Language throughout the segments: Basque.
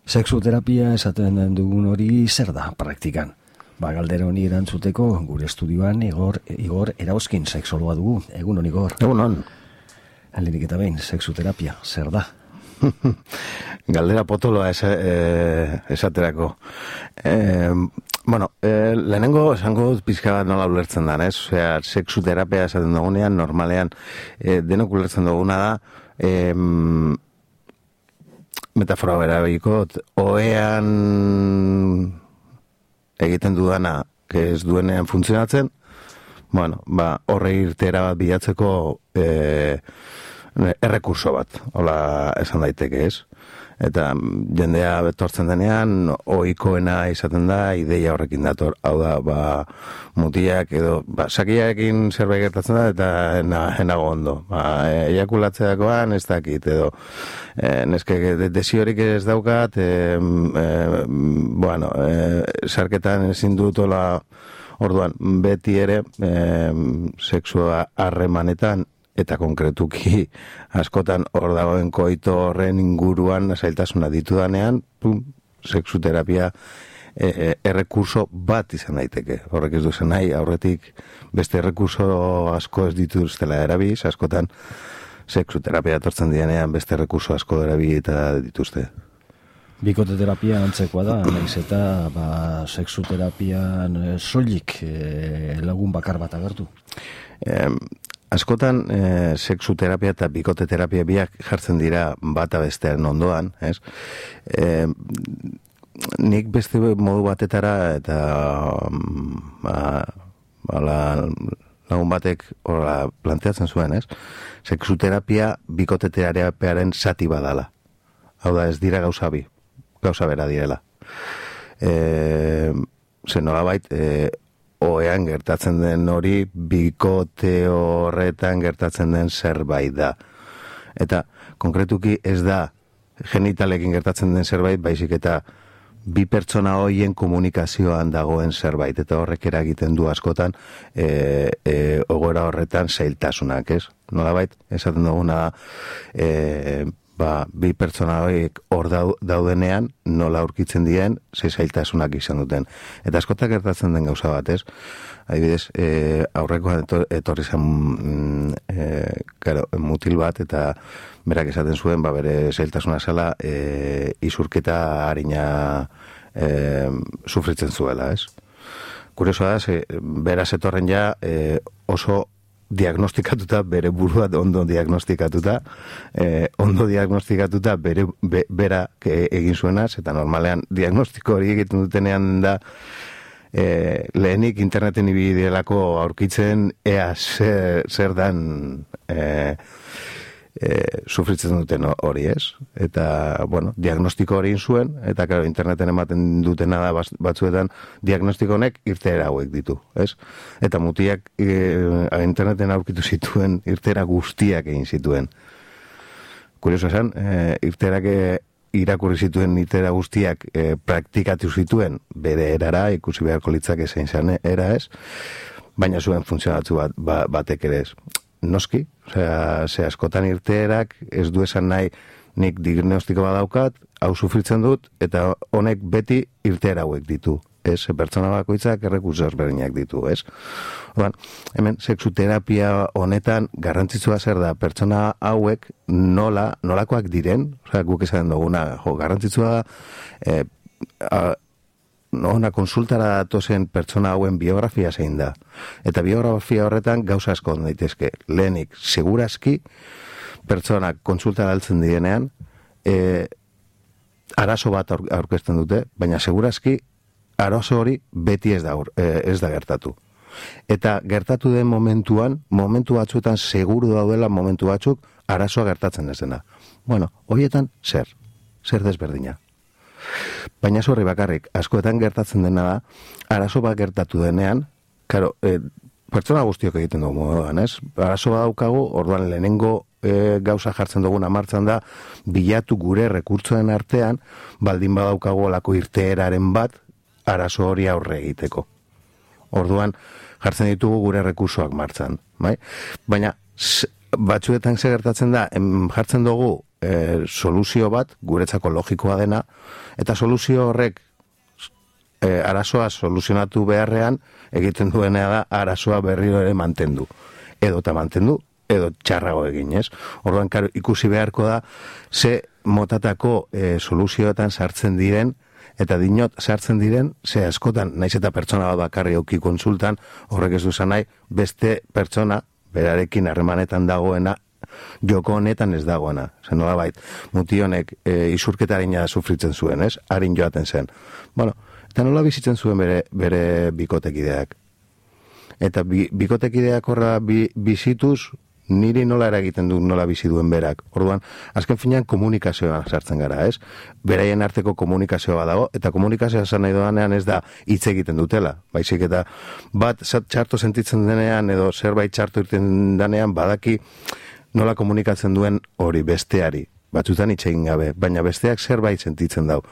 Sexuterapia esaten dugun hori zer da praktikan? Galdera honi erantzuteko gure estudioan Igor Erauzkin sexologa dugu. Egunon, Igor. Egunon. Lehenik eta behin, sexuterapia zer da? Galdera potoloa esaterako. Lehenengo esango pizka bat nola ulertzen da, ez? Osea, sexuterapia esaten dugunean, normalean denok ulertzen duguna da, metafora berabiko, ohean egiten dudana, ez duenean funtzionatzen, horre irtera bat bilatzeko errekurso bat, hola esan daiteke, ez? Eta jendea betortzen denean, ohikoena izaten da, ideia horrekin dator. Hau da, mutiak edo, sakiarekin zerbait gertatzen da, eta enago ondo. Eiakulatzeakoan ez dakit, edo, neske desiorik ez daukat, sarketan ezin dut hola, orduan, beti ere, sexua harremanetan, eta konkretuki askotan hor dagoen koito horren inguruan zailtasuna ditudanean, sexuterapia errekurso bat izan daiteke. Horrek ez duzen nahi, aurretik beste errekurso asko ez dituztela erabiz, askotan sexuterapia etortzen dianean beste errekurso asko erabi eta dituzte. Bikoteterapia antzekoa da, nahiz eta sexuterapian soilik lagun bakar bat agertu. Askotan, sexuterapia eta bikoteterapia biak jartzen dira bata bestearen ondoan, ez? Nik beste modu batetara eta lagun batek planteatzen zuen, ez? Sexuterapia bikoteterapiaren zati badala. Hau da, ez dira gauza bera direla. Zenolabait, oean gertatzen den hori, bikote horretan gertatzen den zerbait da. Eta, konkretuki ez da genitalekin gertatzen den zerbait, baizik eta bi pertsona horien komunikazioan dagoen zerbait. Eta horrek eragiten du askotan egoera horretan zailtasunak, ez? Nolabait, esaten duguna bi pertsona horiek hor daudenean, nola aurkitzen dien, zailtasunak izan duten. Eta askotak gertatzen den gauza bat, ez? Adibidez, aurrekoan etorri zen mutil bat, eta berak esaten zuen, bere zailtasuna zela, izurketa harina sufritzen zuela, ez? Kuriosoa da, beraz etorren ja oso diagnostikatuta, bere burua ondo diagnostikatuta, bera egin zuenaz, eta normalean diagnostiko hori egiten dutenean da lehenik interneten ibidelako aurkitzen ea zer dan sufritzen duten hori, ez? Eta, diagnostiko hori zuen, eta claro, interneten ematen dutena da batzuetan diagnostiko honek irteera hauek ditu, ez? Eta mutiak interneten aurkitu zituen irteera guztiak egin zituen. Kurioso esan, irteerak irakurri zituen irteera guztiak praktikatu zituen bere erara, ikusi beharko litzake zein zen era, ez? Baina zuen funtzionatu batek ere ez. Noski, ze askotan irteerak ez du esan nahi nik diagnostiko badaukat, hau sufritzen dut, eta honek beti irteera hauek ditu, ez? Pertsona bakoitzak errekurso ezberdinak ditu, ez? Orduan, hemen sexuterapia honetan garrantzitsua zer da, pertsona hauek nolakoak diren, guk esaten duguna, garrantzitsua ona konsultara datozen pertsona hauen biografia zein da. Eta biografia horretan gauza asko daitezke. Lehenik, segurazki, pertsonak konsultara altzen direnean, arazo bat aurkezten dute, baina segurazki, arazo hori beti ez da gertatu. Eta gertatu den momentu batzuetan seguru daudela momentu batzuk, arazoa gertatzen ez dena. Horietan zer desberdina. Baina zorri bakarrik, askoetan gertatzen dena da, arazo bat gertatu denean, pertsona guztiok egiten dugu moduan, ez? Arazo bat daukagu, orduan lehenengo gauza jartzen duguna martxan da, bilatu gure rekurtsoen artean, baldin badaukagu olako irteeraren bat, arazo hori aurre egiteko. Orduan, jartzen ditugu gure rekursoak martxan, bai? Baina, batzuetan ze gertatzen da, jartzen dugu soluzio bat, guretzako logikoa dena, eta soluzio horrek arazoa soluzionatu beharrean, egiten duena da arazoa berriro ere mantendu. Edo txarrago egin, ez? Orduan, ikusi beharko da, ze motatako soluzioetan sartzen diren, eta dinot sartzen diren, ze askotan, naiz eta pertsona bat bakarri auki konsultan, horrek ez duzan nahi, beste pertsona, berarekin harremanetan dagoena, joko honetan ez dagoena. Zen nola bait, muti honek isurketarina sufritzen zuen, ez? Harin joaten zen. Bueno, eta nola bizitzen zuen bere bikotekideak. Eta bikotekideak horra bizituz, niri nola eragiten du nola bizi duen berak. Orduan, azken finean komunikazioa sartzen gara, ez? Beraien arteko komunikazioa dago, eta komunikazioa esan nahi doanean ez da hitz egiten dutela. Baizik eta bat txarto sentitzen denean edo zerbait txarto irten denean badaki nola komunikatzen duen hori besteari. Batzutan hitz egin gabe, baina besteak zerbait sentitzen dau.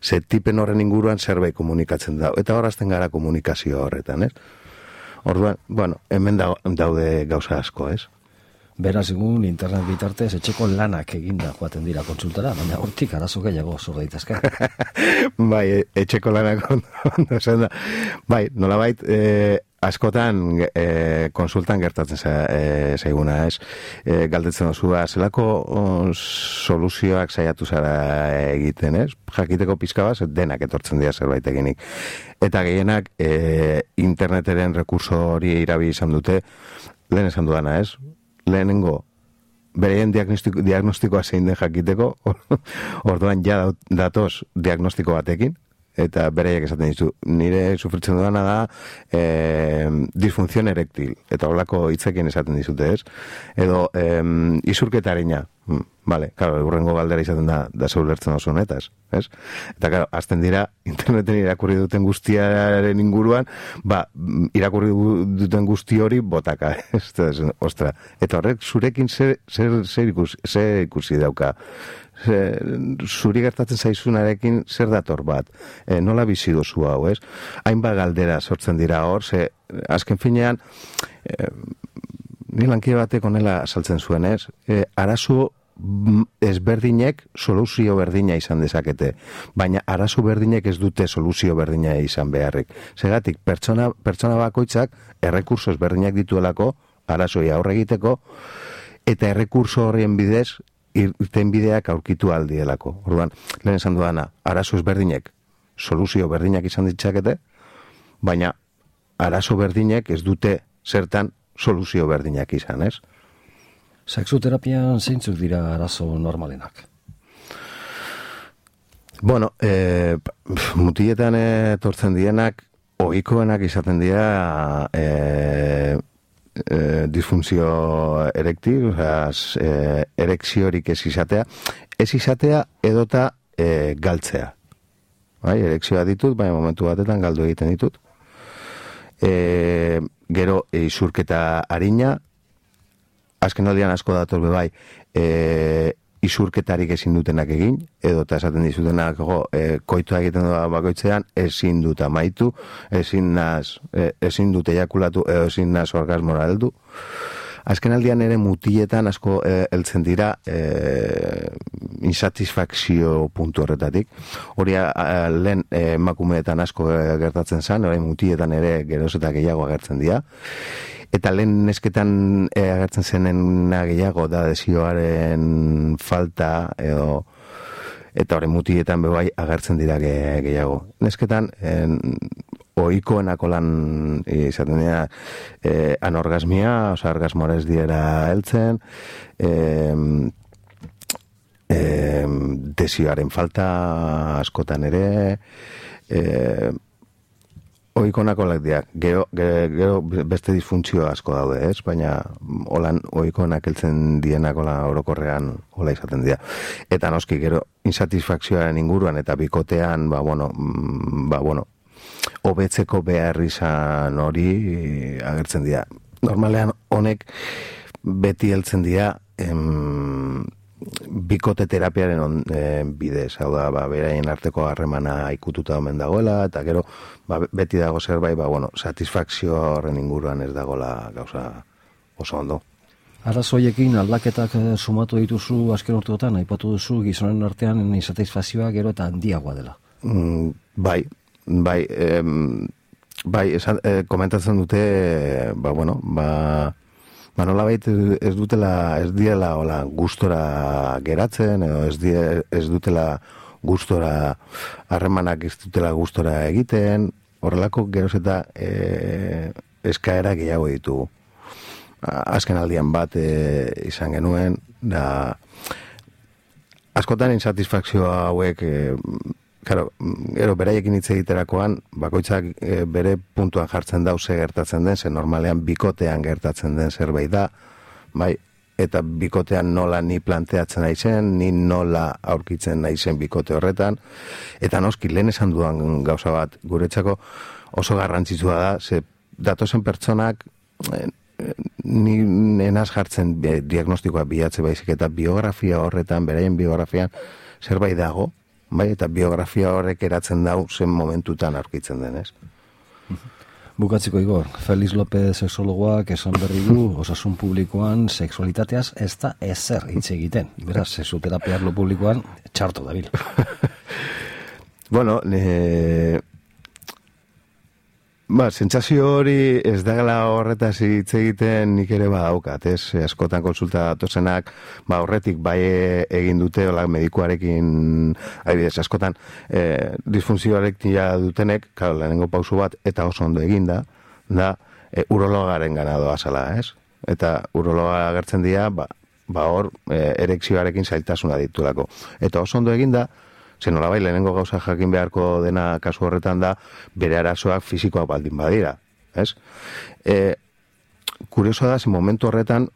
Ze tipen horren inguruan zerbait komunikatzen dau. Eta horazten gara komunikazio horretan, ez? Orduan, bueno, hemen daude gauza asko, ez? Beraz, egun internet bitartez etxeko lanak eginda joaten dira kontsultara, baina hortik arazo gehiago zor daitezke. Bai, etxeko lanak ondo esan da. Bai, nolabait, askotan konsultan gertatzen zaiguna, ez? Galdetzen osua, zelako soluzioak saiatu zara egiten, ez? Jakiteko pizka bat, denak etortzen dira zerbait eginik. Eta gehienak interneteren rekurso hori irabi izan dute, lehen esan duana, ez? Lehenengo, bereien diagnostikoa zein den jakiteko, orduan ja datoz diagnostiko batekin, eta bereiek esaten dizu, nire sufritzen duana da disfunción erektil, eta holako hitzekin esaten dizute, ez? Edo isurketarina, vale, claro, urrengo galdera izaten da zeulertzen oso honetaz, ez? Eta, claro, azten dira, interneten irakurri duten guztiaren inguruan, irakurri duten guzti hori botaka, ez? Ostra, eta horrek zurekin zer ikusi dauka? Zuri gertatzen zaizunarekin zer dator bat, nola bizi dozu hau, ez? Hainbat galdera sortzen dira hor, ze azken finean, ni lankide batek honela saltzen zuen, ez? Arazo ezberdinek soluzio berdina izan dezakete, baina arazo berdinek ez dute soluzio berdina izan beharrik. Segatik, pertsona bakoitzak errekurso ezberdinak dituelako, arazoi aurre egiteko, eta errekurso horrien bidez, irten bideak aurkitu aldielako. Orduan, lehen esan duana, arazo ezberdinek soluzio berdinak izan ditzakete, baina arazo berdinek ez dute zertan soluzio berdinak izan, ez? Sexuterapian zeintzuk dira arazo normalenak? Bueno, mutietan etortzen dienak, ohikoenak izaten dira disfunzio erektil, erekziorik ez izatea edota galtzea. Bai, erekzioa ditut, baina momentu batetan galdu egiten ditut. Gero isurketa arina, azken aldian asko dator bai, isurketarik ezin dutenak egin, edota esaten dizutenak koitua egiten doa bakoitzean, ezin dut amaitu, ezin dut ejakulatu, ezin naz orgasmora heldu. Azken aldian ere mutietan asko heltzen dira insatisfakzio puntu horretatik. Hori lehen emakumeetan asko gertatzen zen, orain mutietan ere geroz eta gehiago agertzen dira. Eta lehen nesketan agertzen zenena gehiago da desioaren falta eta horren mutietan bebai agertzen dira gehiago. Nesketan ohikoenako lan izaten dira anorgasmia, oza, orgasmoa ez diera heltzen, desioaren falta askotan ere, ohikoenako lak dira, gero beste disfuntzio asko daude, ez? Baina holan ohikoenak heltzen dienak hola orokorrean hola izaten dira. Eta noski gero insatisfakzioaren inguruan eta bikotean, hobetzeko behar izan hori agertzen dira. Normalean honek beti heltzen dira bikote terapiaren bidez, hau da, beraien arteko harremana ikututa omen dagoela, eta gero beti dago zerbait, satisfakzio horren inguruan ez dagoela gauza oso ondo. Arazoiekin aldaketak sumatu dituzu azken urteotan, aipatu duzu gizonen artean insatisfazioa gero eta handiagoa dela. Bai, komentatzen dute, nolabait ez diela hola gustora geratzen, edo ez dutela gustora harremanak ez dutela gustora egiten, horrelako geroz eta eskaera gehiago ditugu. Azken aldian bat izan genuen, da askotan insatisfakzio hauek, gero beraiekin hitz egiterakoan, bakoitzak bere puntuan jartzen dau ze gertatzen den, ze normalean bikotean gertatzen den zerbait da, bai, eta bikotean nola ni planteatzen naizen, ni nola aurkitzen naizen bikote horretan, eta noski lehen esan dudan gauza bat, guretzako oso garrantzitsua da, ze datozen pertsonak ni enaz jartzen diagnostikoa bilatze baizik, eta biografia horretan, beraien biografian zerbait dago, bai, eta biografia horrek eratzen dau zen momentutan aurkitzen denez. Bukatziko Igor, Feliz López sexologoak esan berri du osasun publikoan sexualitateaz ez da ezer hitz egiten. Beraz, sexuterapia arlo publikoan txarto dabil. Bueno, sentsazio hori ez dagala horretaz hitz egiten nik ere badaukat, ez? Askotan konsulta datozenak, horretik bai egin dute, hola, medikuarekin, adibidez, askotan disfunzioarekin ja dutenek, claro, lehenengo pausu bat, eta oso ondo eginda, da urologaren gana doazala, ez? Eta urologa agertzen dira, hor, erekzioarekin zailtasuna ditulako. Eta oso ondo eginda, zen nolabai lehenengo gauza jakin beharko dena kasu horretan da, bere arazoak fisikoak baldin badira, ez? Kurioso da, zen momentu horretan,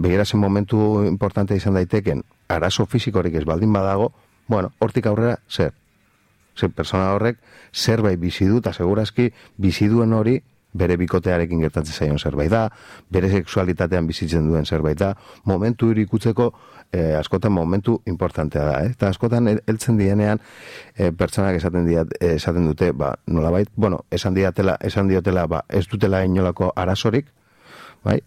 begira zen momentu importante izan daiteken, arazo fisikorik ez baldin badago, bueno, hortik aurrera, zer? Zer, persona horrek, zerbait bizi du, eta segurazki bizi duen hori, bere bikotearekin gertatzen zaion zerbait da, bere sexualitatean bizitzen duen zerbait da, momentu hori ikutzeko, askotan momentu importantea da, eta askotan heltzen dienean pertsonak esaten dute, nolabait, esan diotela, ez dutela inolako arazorik, bai?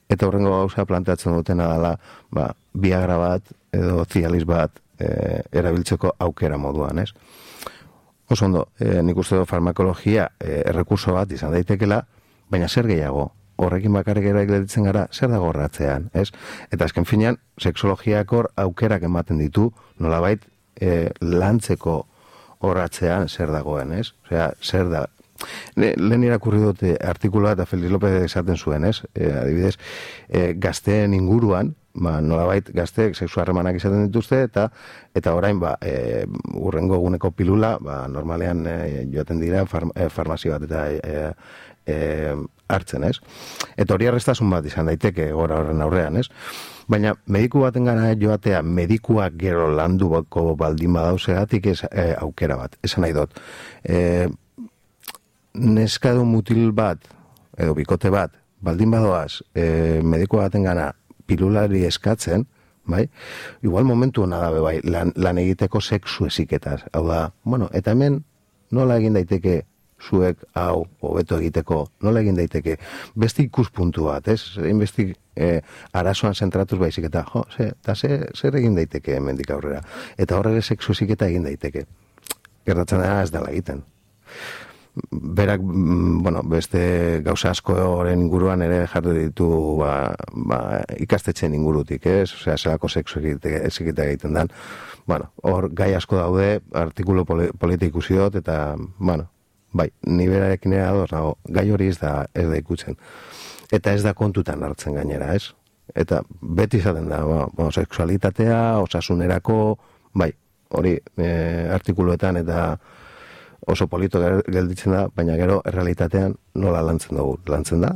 Eta horrengo gauza planteatzen dutena dela, Viagra bat edo Cialis bat erabiltzeko aukera moduan, ez? Oso ondo, nik uste dut farmakologia errekurso bat izan daitekela, baina zer gehiago, horrekin bakarrik gelditzen gara, zer dago horratzean, ez? Eta azken finean, sexologiak hor aukerak ematen ditu, nolabait lantzeko horratzean zer dagoen, ez? Osea, zer da. Lehen irakurri dute artikuloa eta Feliz López esaten zuen, ez? Adibidez, gazteen inguruan, nolabait gazteek sexu harremanak izaten dituzte, eta orain, urrengo eguneko pilula, normalean joaten dira farmazio bat eta hartzen, ez? Eta hori arrestasun bat izan daiteke gora horren aurrean, ez? Baina mediku baten gana joatea, medikuak gero landuko baldin badauzegatik aukera bat, esan nahi dut. Neskadu mutil bat, edo bikote bat, baldin badoaz, mediku baten gana pilulari eskatzen, bai? Igual momentu hona dabe, bai, lan egiteko sexu eziketaz. Hau da, eta hemen nola egin daiteke zuek hau hobeto egiteko, nola egin daiteke beste ikuspuntu bat, ez? Beste arazoan zentratuz baizik eta, zer egin daiteke hemendik aurrera. Eta horre sexu eziketa egin daiteke. Gertatzen dena ez dela egiten. Berak, beste gauza askoren inguruan ere jarri ditu ikastetxeen ingurutik, ez? Osea, zelako sexu eziketa egiten dan. Hor gai asko daude, artikulu politik ikusi dut, eta, bai, ni berarekin ere ados nago, gai hori ez da ikutzen. Eta ez da kontutan hartzen gainera, ez? Eta beti izaten da, sexualitatea, osasunerako, bai, hori artikuluetan eta oso polito gelditzen da, baina gero errealitatean nola lantzen dugu. Lantzen da,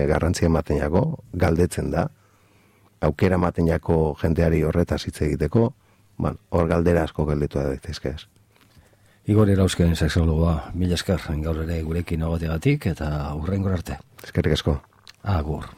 garrantzia ematen jako, galdetzen da, aukera ematen jako jendeari horretaz hitz egiteko, hor galdera asko gelditu da daitezke ez. Igor Erauzken sexologoa, mila esker gaur ere gurekin egoteagatik eta hurrengor arte. Eskerrik asko. Agur.